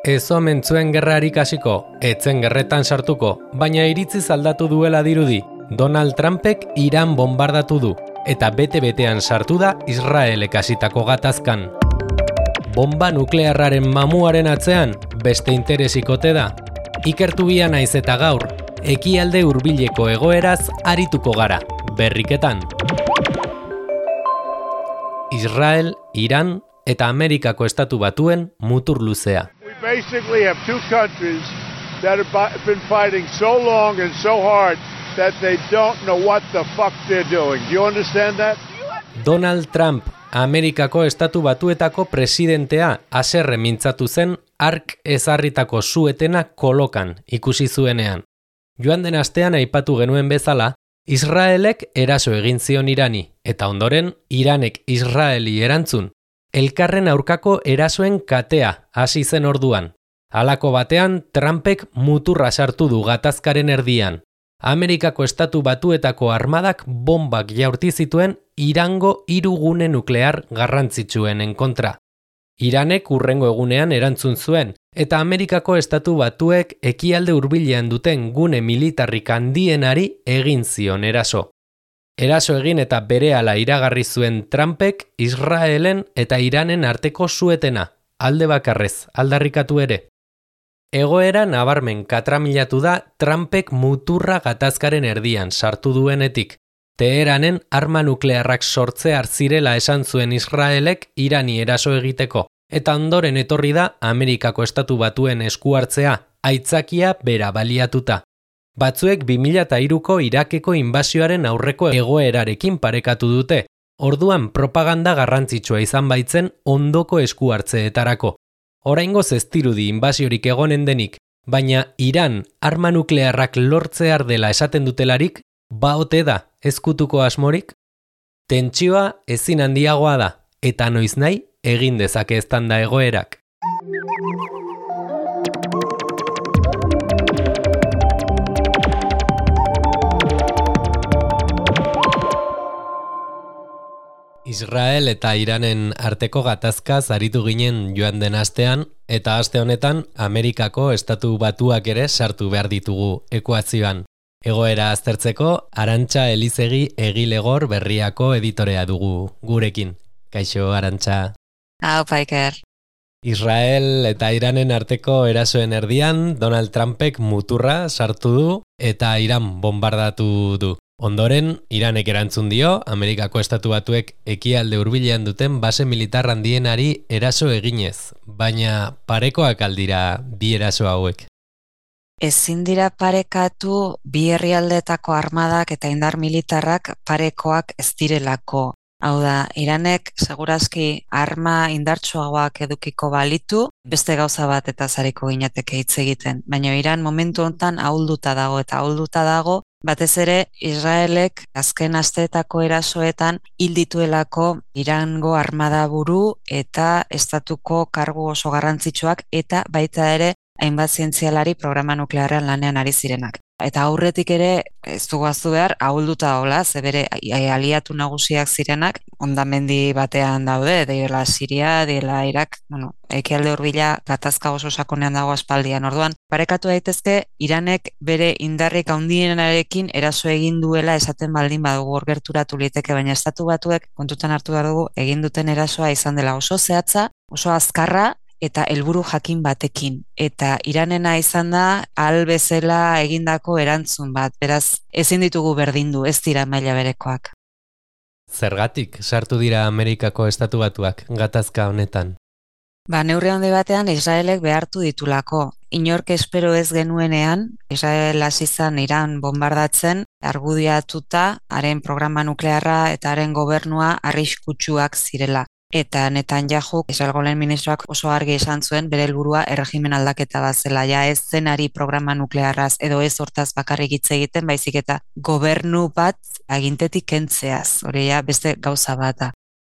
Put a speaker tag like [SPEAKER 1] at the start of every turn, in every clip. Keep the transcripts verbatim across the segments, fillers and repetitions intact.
[SPEAKER 1] ez omen zuen gerrarik hasiko, etzen gerretan sartuko, baina iritziz aldatu duela dirudi. Donald Trumpek Iran bombardatu du, eta bete-betean sartu da Israelek hasitako gatazkan. Bomba nuklearraren mamuaren atzean, beste interesikote da. Ikertu bia naiz eta gaur, ekialde hurbileko egoeraz arituko gara, berriketan. Israel, Iran eta Amerikako estatu batuen mutur luzea.
[SPEAKER 2] We basically have two countries that have been fighting so long and so hard that they don't know what the fuck they're doing. Do you understand that?
[SPEAKER 1] Donald Trump, Amerikako estatu batuetako presidentea, haserre mintzatu zen hark ezarritako suetena kolokan ikusi zuenean. Joan den astean aipatu genuen bezala, Israelek eraso egin zion Irani, eta ondoren Iranek Israeli erantzun. Elkarren aurkako erasoen katea hasi zen orduan. Halako batean Trumpek muturra sartu du gatazkaren erdian. Amerikako estatu batuetako armadak bombak jaurti zituen Irango hiru gune nuklear garrantzitsuenen kontra. Iranek hurrengo egunean erantzun zuen, eta Amerikako estatu batuek ekialde hurbilean duten gune militarrik handienari egin zion eraso. Eraso egin eta berehala iragarri zuen Trumpek Israelen eta Iranen arteko suetena, alde bakarrez, aldarrikatu ere. Egoera nabarmen katramilatu da Trumpek muturra gatazkaren erdian sartu duenetik. Teheranen arma nuklearrak sortzear zirela esan zuen Israelek Irani eraso egiteko, eta ondoren etorri da Amerikako estatu batuen esku hartzea, aitzakia bera baliatuta. Batzuek bi mila hiruko Irakeko inbasioaren aurreko egoerarekin parekatu dute, orduan propaganda garrantzitsua izan baitzen ondoko esku hartzeetarako. Oraingoz ez dirudi inbasiorik egonen denik, baina Iran arma nuklearrak lortzear dela esaten dutelarik, baote da ezkutuko asmorik? Tentsioa ezin handiagoa da, eta noiz nahi egin dezake eztanda egoerak. Israel eta Iranen arteko gatazkaz aritu ginen joan den astean, eta aste honetan Amerikako estatu batuak ere sartu behar ditugu ekuazioan. Egoera aztertzeko, Arantxa Elizegi Egilegor Berriako editorea dugu gurekin. Kaixo, Arantxa.
[SPEAKER 3] Hau, Paiker.
[SPEAKER 1] Israel eta Iranen arteko erasoen erdian Donald Trumpek muturra sartu du eta Iran bombardatu du. Ondoren, Iranek erantzun dio, Amerikako estatu batuek ekialde hurbilean duten base militar handienari eraso eginez, baina parekoak aldira bi eraso hauek.
[SPEAKER 3] Ezin dira parekatu bi herrialdeetako armadak eta indar militarrak parekoak ez direlako. Hau da, Iranek segurazki arma indartsuagoak edukiko balitu, beste gauza bat eta zariko ginateke hitz egiten. Baina Iran momentu hontan ahulduta dago eta ahulduta dago, batez ere Israelek azken asteetako erasoetan hil dituelako Irango armada buru eta estatuko kargu oso garrantzitsuak eta baita ere hainbat zientzialari programa nuklearrean lanean ari zirenak. Eta aurretik ere, ez dugu aztu behar, ahulduta dagoela, ze bere aliatu nagusiak zirenak, hondamendi batean daude, dela Siria, dela Irak, bueno, ekialde hurbila gatazka oso sakonean dago aspaldian. Orduan, parekatu daitezke, Iranek bere indarrik handienarekin eraso egin duela esaten baldin badugu hor gerturatu liteke, baina estatu batuek kontutan hartu behar dugu egin duten erasoa izan dela oso zehatza, oso azkarra, eta helburu jakin batekin. Eta Iranena izan da, ahal bezala egindako erantzun bat. Beraz, ezin ditugu berdindu, ez dira maila berekoak.
[SPEAKER 1] Zergatik sartu dira Amerikako estatu batuak gatazka honetan?
[SPEAKER 3] Ba, neurri handi batean Israelek behartu ditulako. Inork espero ez genuenean, Israel hasi izan Iran bombardatzen, argudiatuta, haren programa nuklearra eta haren gobernua arriskutsuak zirela. Eta Netanyahu, Israelgo lehen ministroak oso argi esan zuen bere helburua erregimen aldaketa bat zela, ja ez zenari programa nuklearraz edo ez hortaz bakarrik hitz egiten, baizik eta gobernu bat agintetik kentzeaz, hori ja beste gauza bata.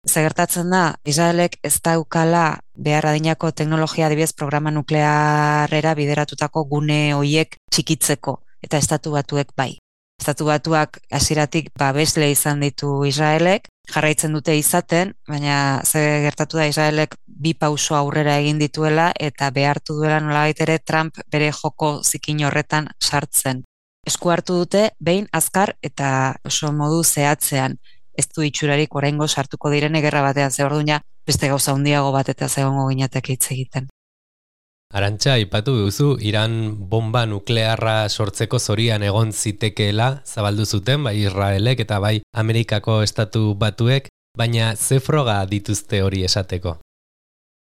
[SPEAKER 3] Zegertatzen da, Israelek ez daukala behar adinako teknologia adibidez programa nuklearrera bideratutako gune hoiek txikitzeko, eta estatu batuek bai. Estatu Batuak hasieratik babesle izan ditu Israelek, jarraitzen dute izaten, baina ze gertatu da Israelek bi pauso aurrera egin dituela eta behartu duela nolabait ere Trump bere joko zikin horretan sartzen. Esku hartu dute behin azkar eta oso modu zehatzean. Ez du itxurarik oraingo sartuko direne gerra batean, ze orduan beste gauza handiago bat eta zegongo ginateke hitz egiten.
[SPEAKER 1] Arantxa, aipatu duzu, Iran bomba nuklearra sortzeko zorian egon zitekeela zabaldu zuten, bai Israelek eta bai Amerikako Estatu Batuek, baina ze froga dituzte hori esateko?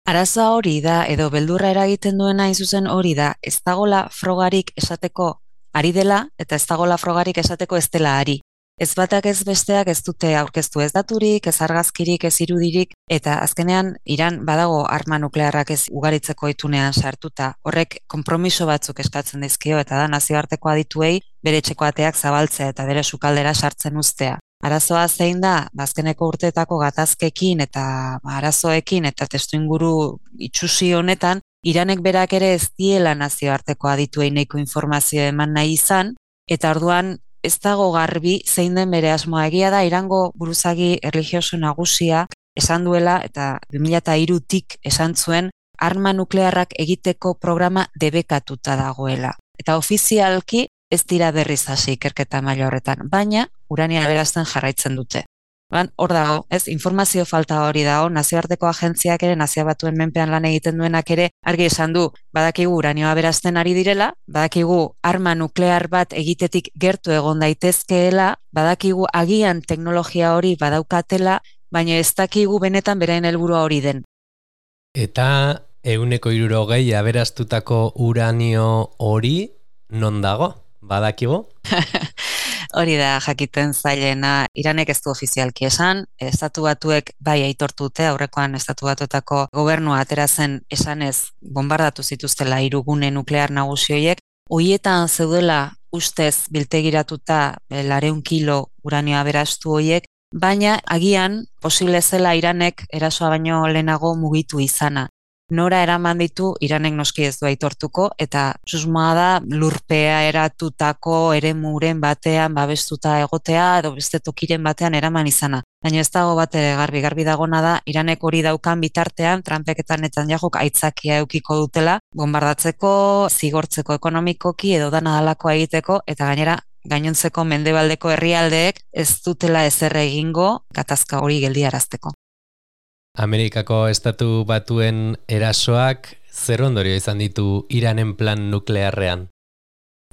[SPEAKER 3] Arazoa hori da, edo beldurra eragiten duena hain zuzen hori da, ez dagola frogarik esateko ari dela, eta ez dagola frogarik esateko ez dela ari. Ez batak ez besteak ez dute aurkeztu ez daturik, ez argazkirik, ez irudirik, eta azkenean Iran badago arma nuklearrak ez ugaritzeko itunean sartuta. Horrek konpromiso batzuk eskatzen dizkio, eta da nazioarteko adituei bere etxeko ateak zabaltzea eta bere sukaldera sartzen uztea. Arazoa zein da, azkeneko urteetako gatazkekin eta arazoekin eta testuinguru itsusi honetan, Iranek berak ere ez diela nazioarteko adituei nahiko informazio eman nahi izan, eta orduan ez dago garbi zein den bere asmoa. Egia da Irango buruzagi erlijioso nagusiak esan duela eta bi mila hirutik esan zuen arma nuklearrak egiteko programa debekatuta dagoela. Eta ofizialki ez dira berriz hasi ikerketa maila horretan, baina urania aberazten jarraitzen dute. Ban, hor dago, ez, informazio falta hori dago, nazioarteko agentziak ere, Nazio Batuen menpean lan egiten duenak ere, argi esan du, badakigu uranioa aberazten ari direla, badakigu arma nuklear bat egitetik gertu egon daitezkeela, badakigu agian teknologia hori badaukatela, baina ez dakigu benetan beraien helburua hori den.
[SPEAKER 1] Eta ehuneko hirurogei aberaztutako uranio hori non dago? Badakigu?
[SPEAKER 3] Hori da jakiten zailena, Iranek ez du ofizialki esan, Estatu Batuek bai aitortute, aurrekoan Estatu Batuetako gobernua atera zen esanez bombardatu zituztela hiru gune nuklear nagusi horiek, horietan zeudela ustez biltegiratuta laurehun kilo uranio aberastu horiek, baina agian posible zela Iranek erasoa baino lehenago mugitu izana. Nora eraman ditu, Iranek noski ez du aitortuko, eta susmoa da lurpea eratutako eremuren batean babestuta egotea, edo beste tokiren batean eraman izana. Baina ez dago bat ere garbi, garbi dagona da, Iranek hori daukan bitartean, Trumpek eta Netanyahuk aitzakia eukiko dutela, bombardatzeko, zigortzeko ekonomikoki, edo dana dalakoa egiteko, eta gainera, gainontzeko mendebaldeko herrialdeek ez dutela ezer egingo gatazka hori geldiarazteko.
[SPEAKER 1] Amerikako Estatu Batuen erasoak zer ondorio izan ditu Iranen plan nuklearrean?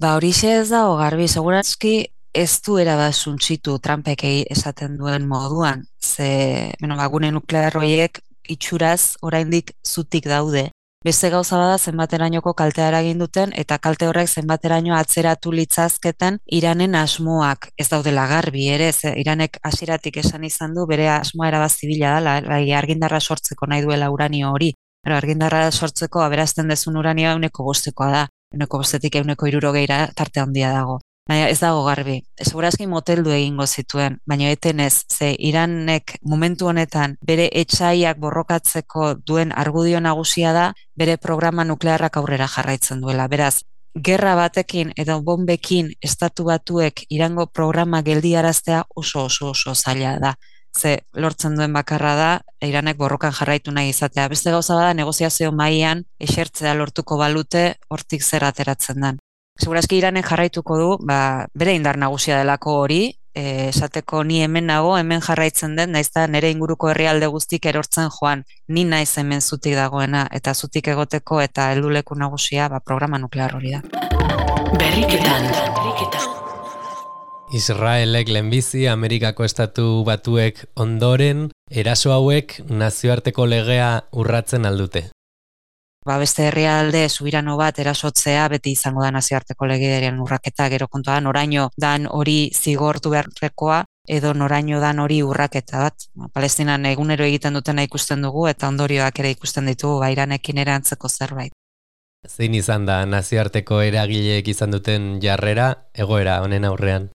[SPEAKER 3] Ba horixe ez dago garbi, segurazki ez du erabat suntsitu Trumpek esaten duen moduan, ze bueno, ba, gune nuklear horiek itxuraz oraindik zutik daude. Beste gauza bada zenbaterainoko kaltea eragin duten eta kalte horrek zenbateraino atzeratu litzazketen Iranen asmoak ez daudela garbi ere, ze Iranek hasieratik esan izan du bere asmoa erabat zibila dela, bai argindarra sortzeko nahi duela uranio hori. Pero argindarra sortzeko aberazten dezun uranioa ehuneko bostekoa da, ehuneko bostetik ehuneko hirurogeira tarte handia dago. Baina ez dago garbi, segurazki moteldu egingo zituen, baina etenez, ze Iranek momentu honetan bere etsaiak borrokatzeko duen argudio nagusia da, bere programa nuklearrak aurrera jarraitzen duela. Beraz, gerra batekin edo bombekin Estatu Batuek Irango programa geldiaraztea oso oso oso zaila da. Ze lortzen duen bakarra da, Iranek borrokan jarraitu nahi izatea. Beste gauza bada, negoziazio mailan esertzea lortuko balute hortik zer ateratzen den. Segurazki Iranek jarraituko du, ba, bere indar nagusia delako hori, e, esateko ni hemen nago, hemen jarraitzen den, naizta nire inguruko herrialde guztik erortzen joan, ni naiz hemen zutik dagoena, eta zutik egoteko eta helduleku nagusia ba, programa nuklear hori da.
[SPEAKER 1] Berriketan. Israelek lehenbizi Amerikako Estatu Batuek ondoren, eraso hauek nazioarteko legea urratzen aldute.
[SPEAKER 3] Ba, beste herrialde subirano bat erasotzea beti izango da nazioarteko legearen urraketa, gero kontua da noraino dan hori zigortu beharrekoa edo noraino dan hori urraketa bat. Palestinan egunero egiten dutena ikusten dugu eta ondorioak ere ikusten ditugu ba, Iranekin ere antzeko zerbait.
[SPEAKER 1] Zein izan da nazioarteko eragileek izan duten jarrera egoera honen aurrean?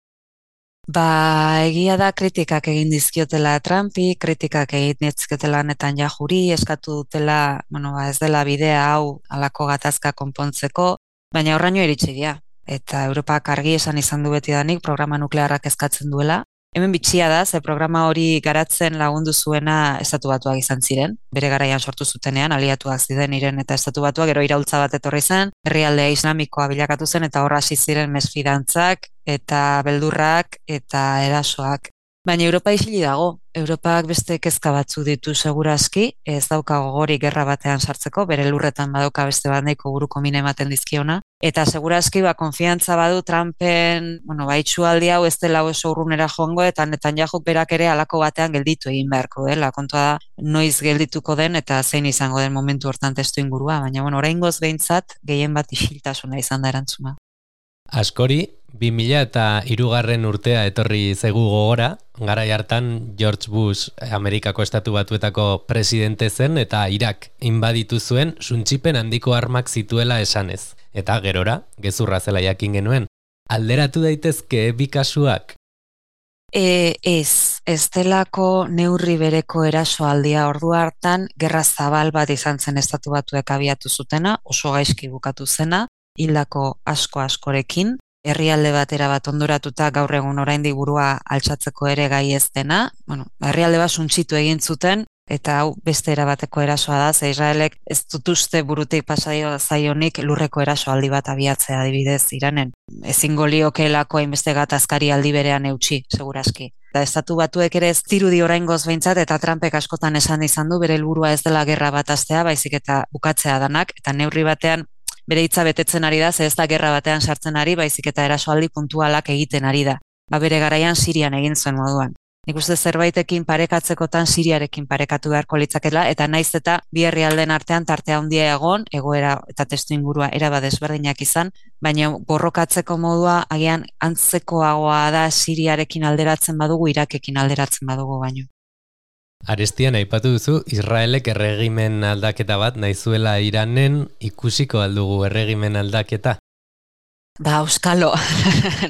[SPEAKER 3] Ba, egia da kritikak egin dizkiotela Trumpi, kritikak egin dizkiotela Netanyahuri, eskatu dutela, bueno, ba, ez dela bidea hau halako gatazka konpontzeko, baina horraino iritsi dira. eta Europak argi esan izan du betidanik programa nuklearrak eskatzen duela. Hemen bitxia da, ze programa hori garatzen lagundu zuena Estatu Batuak izan ziren. Bere garaian sortu zutenean, aliatuak ziren Iran eta Estatu Batuak, gero iraultza bat etorri zen, herrialdea islamikoa bilakatu zen, eta horra hasi ziren mesfidantzak, eta beldurrak, eta erasoak. Baina Europa isili dago. Europak beste kezka batzu ditu segurazki, ez dauka gogorik gerra batean sartzeko, bere lurretan badauka beste bat nahiko buruko mine ematen dizkiona. Eta segurazki ba, konfiantza badu Trumpen, bueno, ba, itxualdi hau ez dela oso urrunera joango, eta Netanyahuk berak ere halako batean gelditu egin beharko dela. Kontua da, noiz geldituko den eta zein izango den momentu hortan testu ingurua, baina bueno, oraingoz behintzat gehien bat isiltasuna izan da erantzuna.
[SPEAKER 1] Askori, bi mila eta hirugarren urtea etorri zaigu gogora, garai hartan George Bush Amerikako Estatu Batuetako presidente zen eta Irak inbaditu zuen suntsipen handiko armak zituela esanez. Eta gerora, gezurra zela jakin genuen. Alderatu daitezke bi kasuak?
[SPEAKER 3] E, ez, ez delako neurri bereko erasoaldia ordu hartan, gerra zabal bat izan zen Estatu Batuek abiatu zutena, oso gaizki bukatu zena, hildako asko askorekin, herrialde batera bat ondoratuta gaur egun oraindik burua altxatzeko ere gai ez dena, bueno, herrialde bat suntsitu egin zuten, eta hau beste erabateko erasoa da, ze Israelek ez dut uste burutik pasaio zaionik lurreko erasoaldi bat abiatzea adibidez Iranen. Ezingo liokeelako hainbeste gatazkari aldi berean eutsi, segurazki. Eta Estatu Batuek ere ez dirudi oraingoz behintzat, eta Trumpek askotan esan izan du bere helburua ez dela gerra bat hastea, baizik eta bukatzea danak, eta neurri batean bere hitza betetzen ari da, ze ez da gerra batean sartzen ari, baizik eta erasoaldi puntualak egiten ari da. Ba bere garaian Sirian egin zuen moduan. Nik uste zerbaitekin parekatzekotan Siriarekin parekatu beharko litzakela, eta naiz eta bi herrialden artean tartea handia egon, egoera eta testu ingurua erabat desberdinak izan, baina borrokatzeko modua agian antzekoagoa da Siriarekin alderatzen badugu, Irakekin alderatzen badugu baino.
[SPEAKER 1] Arestian aipatu duzu, Israelek erregimen aldaketa bat nahizuela Iranen, ikusiko aldugu erregimen aldaketa?
[SPEAKER 3] Ba, euskalo,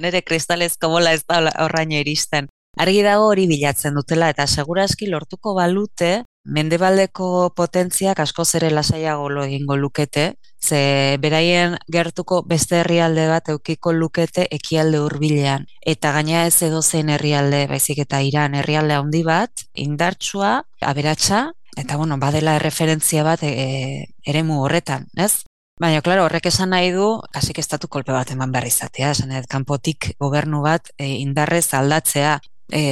[SPEAKER 3] nire kristalezko bola ez da horraino iristen. Argi dago hori bilatzen dutela, eta segurazki lortuko balute, mendebaldeko potentziak askoz ere lasaiago lo egingo lukete, ze beraien gertuko beste herrialde bat eukiko lukete ekialde hurbilean. Eta gaina ez edozein herrialde, baizik eta Iran herrialde handi bat, indartsua, aberatsa, eta bueno, badela erreferentzia bat e, eremu horretan, ez? Baina, klaro, horrek esan nahi du, kasik estatu kolpe bat eman behar izatea, esan edo, kanpotik gobernu bat e, indarrez aldatzea. E,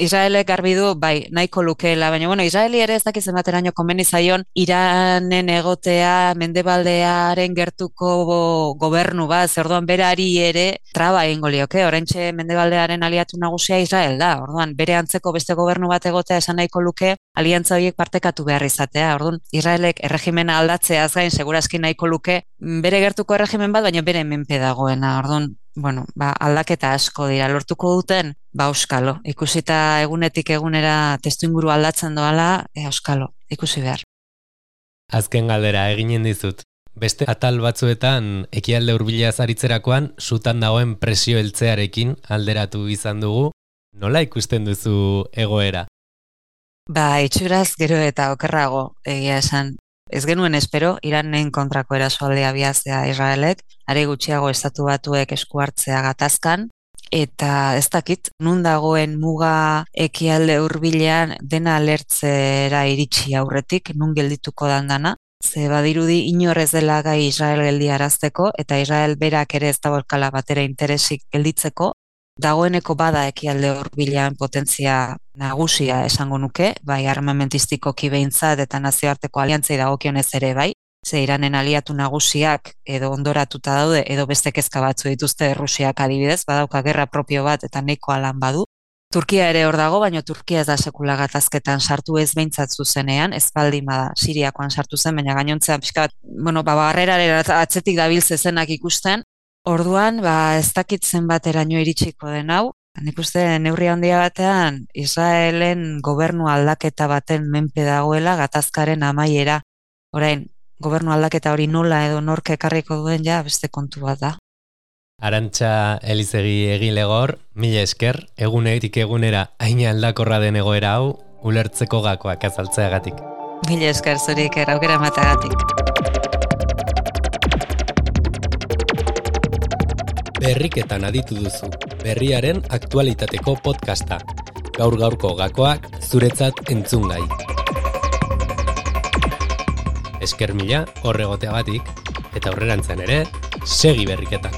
[SPEAKER 3] Israelek garbi du, bai, nahiko lukeela, baina, bueno, Israeli ere ez dakizen bateraino konbeni zaion Iranen egotea mendebaldearen gertuko gobernu bat, zer orduan berari ere traba egingo lioke, oraintxe mendebaldearen aliatu nagusia Israel da, orduan bere antzeko beste gobernu bat egotea esan nahiko luke, aliantza horiek partekatu behar izatea, orduan Israelek erregimena aldatzeaz gain segurazki nahiko luke bere gertuko erregimen bat, baina bere menpe dagoena, orduan bueno, ba, aldaketa asko dira, lortuko duten, ba, euskalo. Ikusita egunetik egunera testuinguru aldatzen doala, e, euskalo, ikusi behar.
[SPEAKER 1] Azken galdera eginen dizut. Beste atal batzuetan ekialde hurbila zaritzerakoan sutan dagoen presio heltzearekin alderatu izan dugu. Nola ikusten duzu egoera?
[SPEAKER 3] Ba, itxuraz gero eta okerrago egia esan. Ez genuen espero, Iranen kontrako erasoaldea abiatzea Israelek, are gutxiago Estatu Batuek esku hartzea gatazkan, eta ez dakit, nun dagoen muga ekialde hurbilean dena alertzera iritsi aurretik, nun geldituko dandana, ze badirudi inor ez dela gai Israel geldiarazteko, eta Israel berak ere ez dagoelkala batera interesik gelditzeko, dagoeneko bada ekialde hurbilean potentzia nagusia esango nuke, bai armamentistikoki behintzat eta nazioarteko aliantzei dagokionez ere bai, ze Iranen aliatu nagusiak edo ondoratuta daude edo beste kezka batzu dituzte Rusiak adibidez, badauka gerra propio bat eta nahikoa lan badu. Turkia ere hor dago, baina Turkia ez da sekula gatazketan sartu ez behintzat zuzenean, ez baldin bada Siriakoan sartu zen, baina gainontzean pixka bat, bueno, ba, barreraren atzetik dabil zezenak ikusten. Orduan, ba, ez dakit zenbateraino iritsiko den hau, nik uste neurri handia batean Israelen gobernu aldaketa baten menpe dagoela gatazkaren amaiera. Orain, gobernu aldaketa hori nola edo nork ekarriko duen ja beste kontu bat da.
[SPEAKER 1] Arantxa Elizegi Egilegor, mila esker, egunetik egunera haina aldakorra den egoera hau, ulertzeko gakoak azaltzeagatik.
[SPEAKER 3] Mila esker zurik, aukera emateagatik.
[SPEAKER 1] Berriketan aditu duzu, berriaren aktualitateko podcasta. Gaur gaurko gakoak zuretzat entzungai. Esker mila horregoteagatik, eta aurrerantzean ere, segi berriketan.